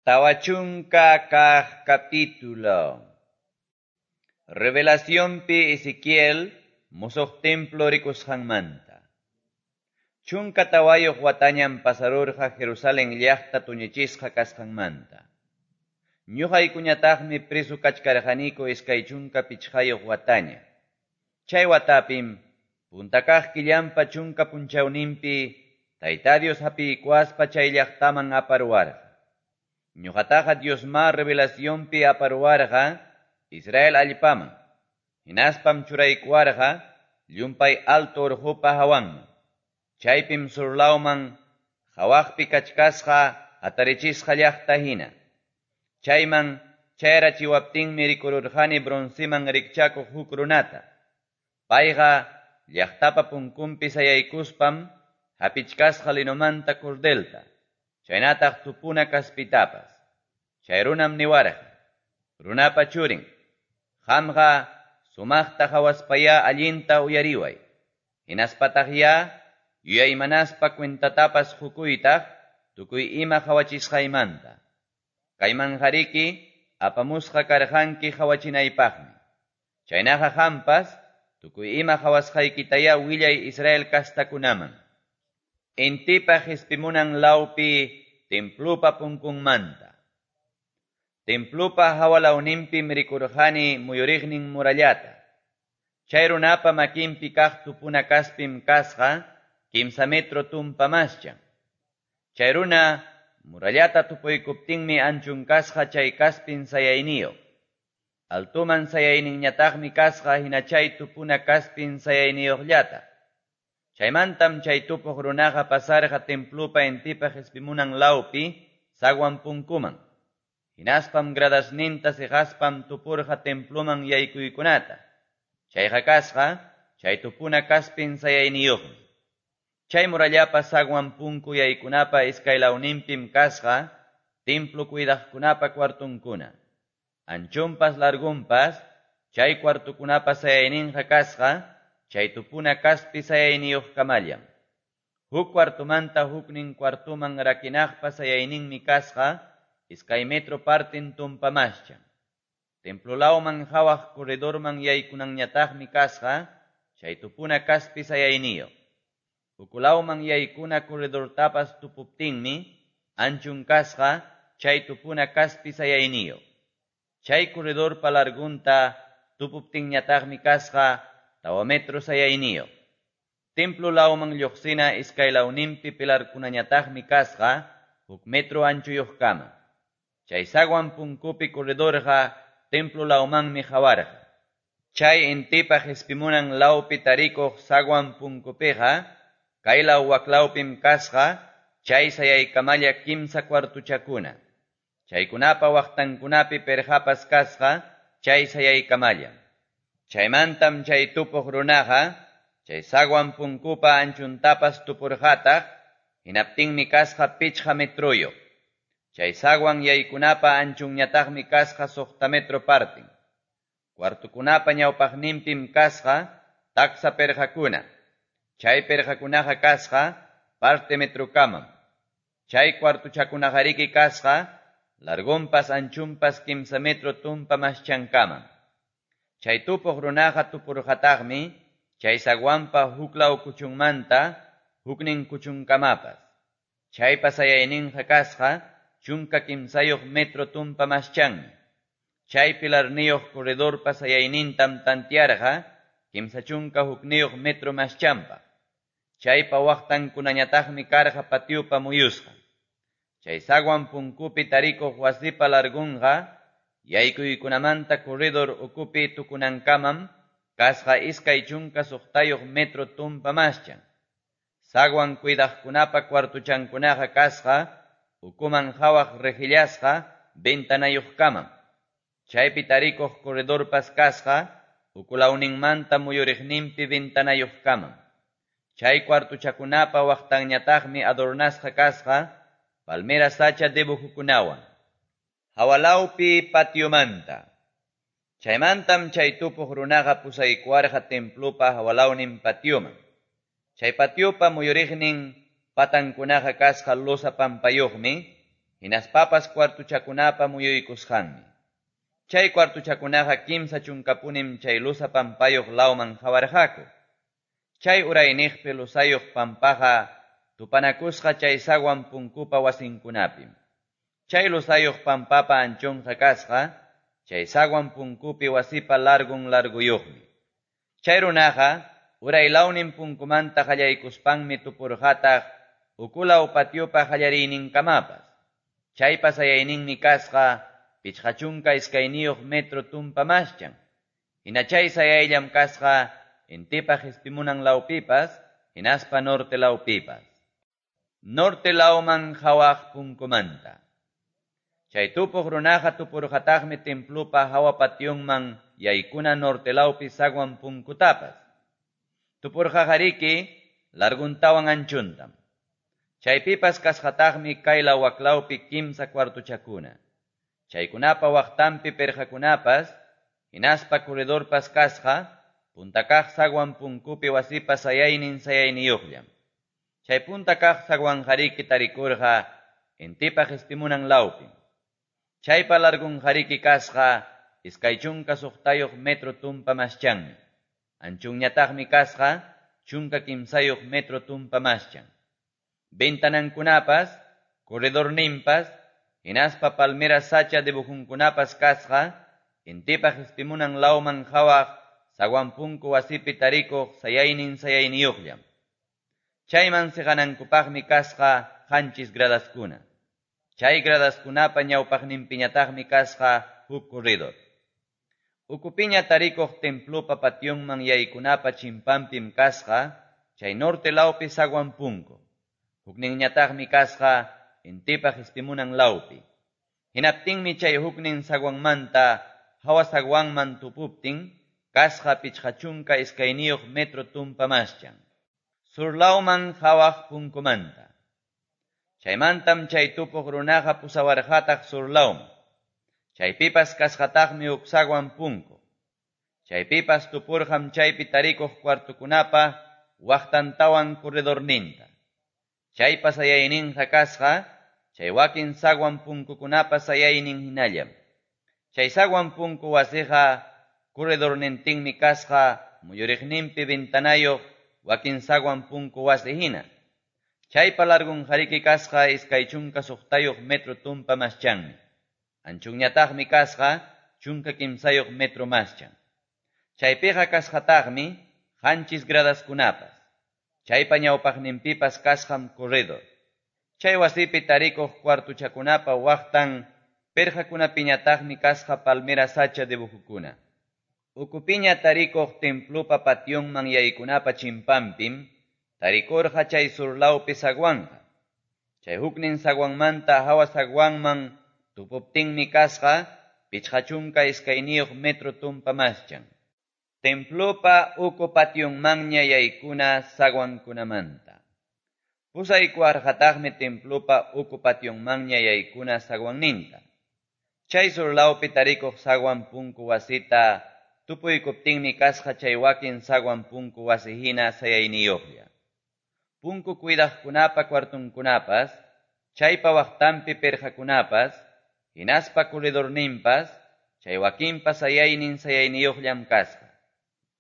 40 kaq capítulo. Revelacionpi Ezequiel musuq templo rikusqanmanta. 14 watañam pasarurqa Jerusalén llaqta tuñichisqa kasqanmanta. Ñuqaykuñataqmi preso kachkarqaniku 25 wataña. Chay watapim punta kaq killanpa 10 punchawninpi Tayta Dios hapiykuwaspa chay llaqtaman aparuwarqa. Ñuqataqa Diosma revelacionpi aparuwarqa Israel allpaman. Hinaspam churaykuwarqa llumpay alto urqupa hawanman. Chaypim surlawman hawaqpi kachkasqa hatarichisqa llaqta hina. Chayman chayarachiwaptinmi rikururqani bronceman rikchakuq huk runata. Payqa llaqtapa punkunpi sayaykuspam hapichkasqa linomanta cordelta, chaynataq tupuna kaspitapas. Chay runam niwarqa: Runapa churin, qamqa sumaqta hawaspayá allinta uyariway. Hinaspataqyá yuyaymanaspa cuentatapas qukuytaq tukuy ima hawachisqaymanta. Kaymanqariki apamusqa karqanki hawachinaypaqmi. Chaynaqa qampas tukuy ima hawasqaykitayá willay Israel kastakunaman. Intipa qispimunan lawpi templupa punkunmanta. Templupa hawalawninpim rikurqani muyuriqnin murallata. Chay runapa makinpi kaq tupuna kaspim kasqa 3 metro tumpa maschan. Chay runa murallata tupuykuptinmi anchun kasqa chay kaspin sayayniyuq. Altuman sayayninñataqmi kasqa hina chay tupuna kaspin sayayniyuqllata. Chaymantam chay tupuq runaqa pasarqa templupa intipa qispimunan lawpi zaguan punkuman. Hinaspam gradasninta siqaspam tupurqa templuman yaykuykunata. Chayqa kasqa chay tupuna kaspin sayayniyuqmi. Chay murallapa zaguan punku yaykunapa iskaylawninpim kasqa templo cuidaqkunapa cuartunkuna. Anchunpas largunpas chay cuartukunapa sayayninqa kasqa chay tupuna kaspi sayayniyuqkamallam. Huk cuartumanta huknin cuartuman rakinaqpa sayayninmi kasqa 2 metro partin tumpa maschan. Templo lawman hawaq corredorman yaykunanñataqmi kasqa chay tupuna kaspi sayayniyuq. Ukulawman yaykuna corredortapas tupuptinmi anchun kasqa chay tupuna kaspi sayayniyuq. Chay corredorpa largunta tupuptinñataqmi kasqa 4 metro sayayniyuq. Templo lawman lluqsina iskaylawninpi pilarkunañataqmi kasqa 1 metro anchuyuqkama. Chay zaguan punkupi corredorqa templo lawmanmi hawarqa. Chay intipa qispimunan lawpi tarikuq zaguan punkupiqa kaylaw waklawpim kasqa chay sayaykamalla 3 cuartuchakuna. Chaykunapa waqtankunapi perqapas kasqa chay sayaykamalla. Chaymantam chay tupuq runaqa chay zaguan punkupa anchuntapas tupurqataq, hinaptinmi kasqa 5 metroyuq. Chay zaguan yaykunapa anchunñataqmi kasqa 6 metro partin. Cuartukunapa ñawpaqninpim kasqa taksa perqakuna. Chay perqakunaqa kasqa parte metrokamam. Chay cuartuchakunaqariki kasqa largunpas anchunpas 3 metro tumpa maschankamam. Chay tupuq runaqa tupurqataqmi chay zaguanpa huklaw kuchunmanta huknin kuchunkamapas. Chaypa sayayninqa kasqa 13 metro tumpa maschanmi. Chay pilarniyuq corredorpa sayaynintam tantiarqa 31 metro maschanpaq. Chaypa waqtankunañataqmi karqa patiopa muyusqa. Chay zaguan punkupi tarikuq wasipa largunqa yaykuykunamanta corredor ukupi tukunankamam kasqa 26 metro tumpa maschan. Zaguan cuidaqkunapa cuartuchankunaqa kasqa ukuman hawaq rejillasqa ventanayuqkamam. Chaypi tarikuq corredorpas kasqa ukulawninmanta muyuriqninpi ventanayuqkamam. Chay cuartuchakunapa waqtanñataqmi adornasqa kasqa palmera sacha dibujukunawan. Hawalawpi patiomanta. Chaymantam chay tupuq runaqa pusaykuwarqa templupa hawalawnin patioman. Chay patiopa muyuriqnin patankunaqa kasqa losa pampayuqmi, hinaspapas cuartochakunapa muyuykusqanmi. Chay cuartochakunaqa 30punim chay losa pampayuq lawman qawarqaku. Chay urayniqpi losayuq pampaqa tupanakusqa chay zaguan punkupa wasinkunapim. Chay losayuq pampapa anchonqa kasqa chay zaguan punkupi wasipa largun larguyuqmi. Chay runaqa uraylawnin punkumanta qallaykuspanmi tupurqataq ukulaw patiopa qallariyninkamapas. Chaypa sayayninmi kasqa 52 metro tumpa maschan. Hina chay sayayllam kasqa intipa qispimunan lawpipas hinaspa norte lawpipas. Norte lawman qawaq punkumanta. Chay tupuq runaqa tupurqataqmi templopa hawa pationman yaykuna norte lawpi zaguan punkutapas. Tupurqaqariki larguntawan anchuntam. Chaypipas kasqataqmi kaylaw waklawpi 3 cuartochakuna. Chaykunapa waqtanpi perqakunapas hinaspa corredorpas kasqa punta kaq zaguan punkupi wasipa sayaynin sayayniyuqllam. Chay punta kaq zaguanqariki tarikurqa intipa qispimunan lawpim. Chaypa largunqariki kasqa 26 metro tumpa maschanmi. Anchunñataqmi kasqa 13 metro tumpa maschan. Ventanankunapas, corredorninpas, hinaspa palmera sacha dibujunkunapas kasqa intipa qispimunan lawman qawaq zaguan punku wasipi tarikuq sayaynin sayayniyuqllam. Chayman siqanankupaqmi kasqa 7 gradaskuna. Chay gradaskunapa ñawpaqninpiñataqmi kasqa huk corredor. Ukupiña tarikuq templopa pationman yaykunapa chimpanpim kasqa chay norte lawpi zaguan punku. Hukninñataqmi kasqa intipa qispimunan lawpi. Hinaptinmi chay huknin zaguanmanta hawa zaguanman tupuptin kasqa 52 metro tumpa maschan. Surlawman qawaq punkumanta. Chaymantam chay tupuq runaqa pusawarqataq surlawman. Chaypipas kasqataqmi huk zaguan punku. Chaypipas tupurqam chaypi tarikuq cuartokunapa waqtantawan corredorninta. Chaypa sayayninqa kasqa chay wakin zaguan punkukunapa sayaynin hinallam. Chay zaguan punku wasiqa corredornintinmi kasqa muyuriqninpi ventanayuq wakin zaguan punku wasi hina. Chaypa largunqariki kasqa 26 metro tumpa maschanmi. Anchunñataqmi kasqa 13 metro maschan. Chaypiqa kasqataqmi 7 gradaskunapas. Chaypa ñawpaqninpipas kasqam corredor. Chay wasipi tarikuq cuartochakunapa waqtan perqakunapiñataqmi kasqa palmera sacha dibujukuna. Ukupiña tarikuq templopa pationman yaykunapa chimpanpim tarikurqa chay surlawpi zaguanqa. Chay huknin zaguanmanta hawa zaguanman tupuptinmi kasqa 52 metro tumpa maschan. Templopa uku pationmanña yaykuna zaguankunamanta. Pusaykuwarqataqmi templopa uku pationmanña yaykuna zaguanninta. Chay surlawpi tarikuq zaguan punku wasita tupuykuptinmi kasqa chay wakin zaguan punku wasi hina sayayniyuqlla. Punku cuidaqkunapa cuartonkunapas, chaypa waqtanpi perqakunapas, hinaspa corredorninpas, chay wakinpa sayaynin sayayniyuqllam kasqa.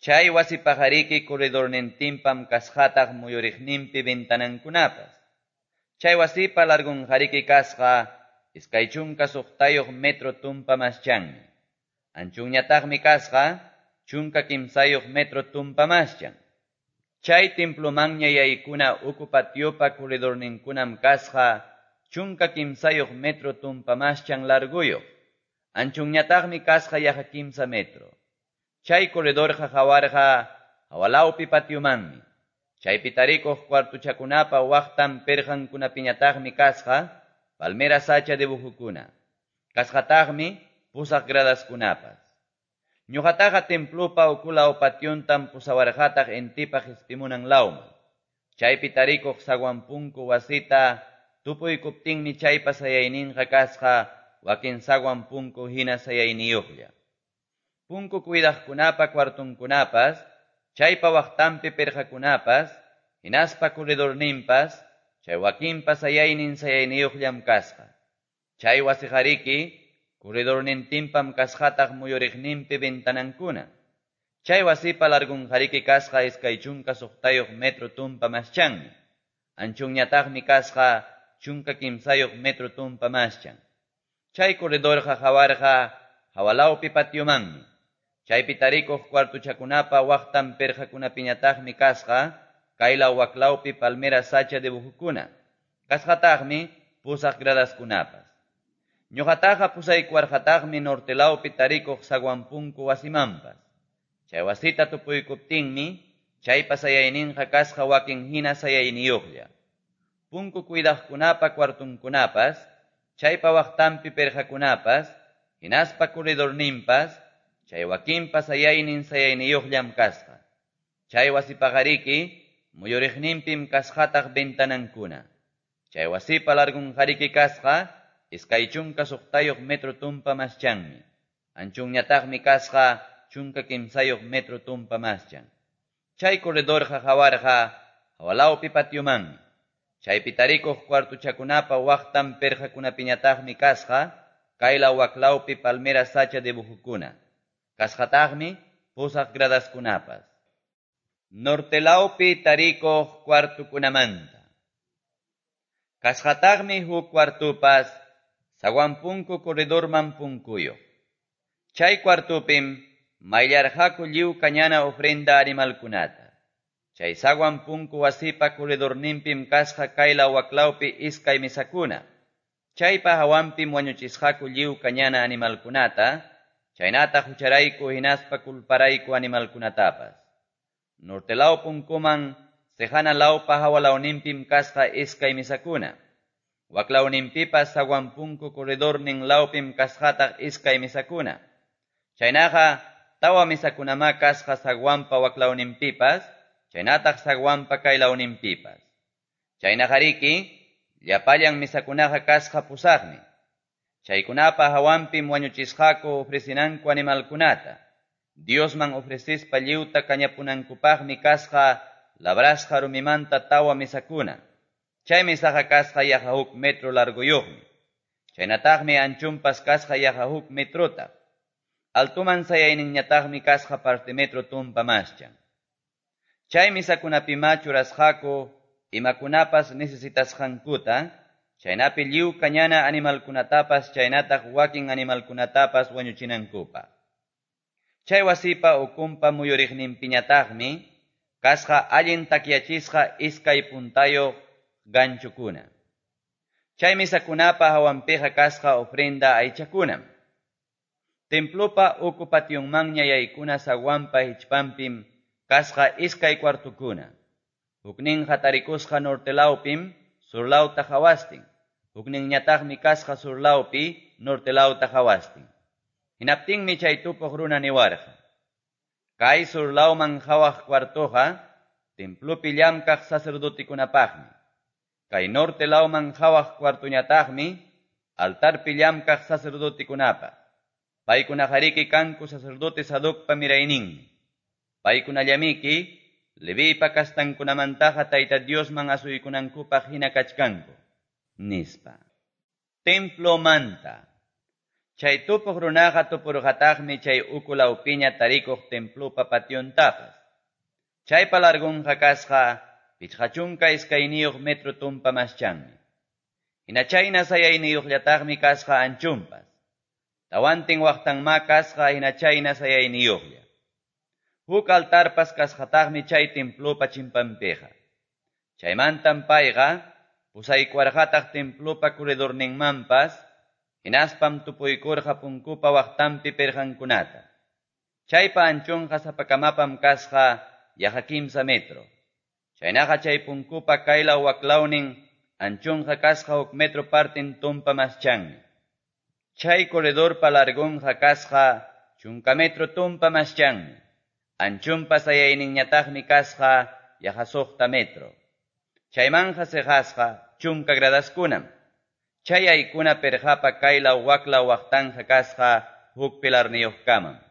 Chay wasipaqariki corredornintinpam kasqataq muyuriqninpi ventanankunapas. Chay wasipa largunqariki kasqa 26 metro tumpa maschanmi. Anchunñataqmi kasqa 13 metro tumpa maschan. Chay templomanña yaykuna uku patiopa corredorninkunam kasqa 13 metro tumpa maschan larguyuq. Anchunñataqmi kasqa yaqa 3 metro. Chay corredorqa qawarqa hawalawpi patiomanmi. Chaypi tarikuq cuartochakunapa waqtan perqankunapiñataqmi kasqa palmera sacha dibujukuna. Kasqataqmi 8 gradaskunapas. Ñuqataqa templopa ukulaw pationtam pusawarqataq intipa qispimunan lawman. Chaypi tarikuq zaguan punku wasita tupuykuptinmi chaypa sayayninqa kasqa wakin zaguan punku hina sayayniyuqlla. Punku cuidaqkunapa cuartonkunapas, chaypa waqtanpi perqakunapas, hinaspa corredorninpas, chay wakinpa sayaynin sayayniyuqllam kasqa. Chay wasiqariki corredornintinpam kasqataq muyuriqninpi ventanankuna. Chay wasipa largonqariki kasqa 26 metro tumpa maschanmi. Anchunñataqmi kasqa 13 metro tumpa maschan. Chay corredorqa hawarqa hawalawpi patiomanmi. Chaypi tarikuq cuartuchakunapa waqtan pirqakunapiñataqmi kasqa kaylaw waklawpi palmera sacha dibujukuna. Kasqataqmi pusaq gradaskunapas. Ñuqataqa pusaykuwarqataqmi nortelawpi tarikuq zaguán punku wasimanpas. Chay wasita tupuykuptinmi chaypa sayayninqa kasqa wakin hina sayayniyuqlla. Punku cuidaqkunapa cuartunkunapas, chaypa waqtanpi pirqakunapas, hinaspa corredorninpas, chay wakinpa sayaynin sayayniyuqllam kasqa. Chay wasipaqariki muyuriqninpim kasqataq ventanankuna. Chay wasipa largunqariki kasqa 26 metro tumpa maschanmi. Anchunñataqmi kasqa 13 metro tumpa maschan. Chay corredorqa hawarqa hawalawpi patiomanmi. Chaypi tarikuq cuartuchakunapa waqtan pirqakunapiñataqmi kasqa kaylaw waklawpi palmera sacha dibujukuna. Kasqataqmi pusaq gradaskunapas. Nortelawpi tarikuq cuartukunamanta. Kasqataqmi huk cuartupas zaguán punku corredorman punkuyuq. Chay cuartupim mayllarqaku lliw kañana ofrenda animalkunata. Chay zaguán punku wasipa corredorninpim kasqa kaylaw waklawpi iskay mesakuna. Chaypa hawanpim wañuchisqaku lliw kañana animalkunata, chaynataq hucharayku hinaspa culparayku animalkunatapas. Nortelaw punkuman sejana lawpa hawalawninpim kasqa iskay mesakuna. Waklawninpipas zaguán punku corredornin lawpim kasqataq iskay mesakuna. Chaynaqa tawa mesakunamá kasqa zaguanpa waklawninpipas, chaynataq zaguanpa kaylawninpipas. Chaynaqariki llapallan mesakunaqa kasqa pusaqmi. Chaykunapa hawanpim wañuchisqaku ofrecinanku animalkunata. Diosman ofrecispa lliwta kañapunankupaqmi kasqa labrasqa rumimanta tawa mesakuna. Chay mesaqa kasqa yaqa huk metro largoyuqmi. Chaynataqmi anchunpas kasqa yaqa huk metrota. Altuman sayayninñataqmi kasqa parte metro tumpa maschan. Chay mesakunapimá churasqaku imakunapas necesitasqankuta, chaynapi lliw kañana animalkunatapas chaynataq wakin animalkunatapas wañuchinankupaq. Chay wasipa ukunpa muyuriqninpiñataqmi kasqa allin takyachisqa iskay puntayuq ganchukuna. Chay mesakunapa hawanpiqa kasqa ofrenda aychakunam. Templopa uku pationmanña yaykuna zaguanpa hichpanpim kasqa iskay cuartukuna. Hukninqa tarikusqa nortelawpim surlawta hawastin. Hukninñataqmi kasqa surlawpi nortelawta hawastin. Hinaptinmi chay tupuq runa niwarqa: Kay surlawman hawaq cuartuqa templopi llamkaq sacerdotekunapaqmi. Kay norte lawman hawaq cuartuñataqmi altarpi llamkaq sacerdotekunapaq. Paykunaqariki kanku sacerdote Sadocpa mirayninmi. Paykunallamiki Leviypa kastankunamantaqa Tayta Diosman asuykunankupaq hina kachkanku, nispa. Templomanta. Chay tupuq runaqa tupurqataqmi chay uku lawpiña tarikuq templopa pationtapas. Chaypa largunqa kasqa 52 metro tumpa maschanmi. Hina chayna sayayniyuqllataqmi kasqa anchunpas. Tawantin waqtanmá kasqa hina chayna sayayniyuqlla. Huk altarpas kasqataqmi chay templopa chimpanpiqa. Chaymantam payqa pusaykuwarqataq templopa corredorninmanpas, hinaspam tupuykurqa punkupa waqtanpi pirqankunata. Chaypa anchunqa sapakamapam kasqa yaqa 3 metro. Chaynaqa chay punkupa kaylaw waklawnin anchunqa kasqa huk metro partin tumpa maschanmi. Chay corredorpa largunqa kasqa 10 metro tumpa maschanmi. Anchunpa sayayninñataqmi kasqa yaqa 6 metro. Chaymanja siqasqa 10 gradaskunam. Chay aykuna pirqapa kaylaw waklaw waqtanja kasqa huk pilarniyuqkamam.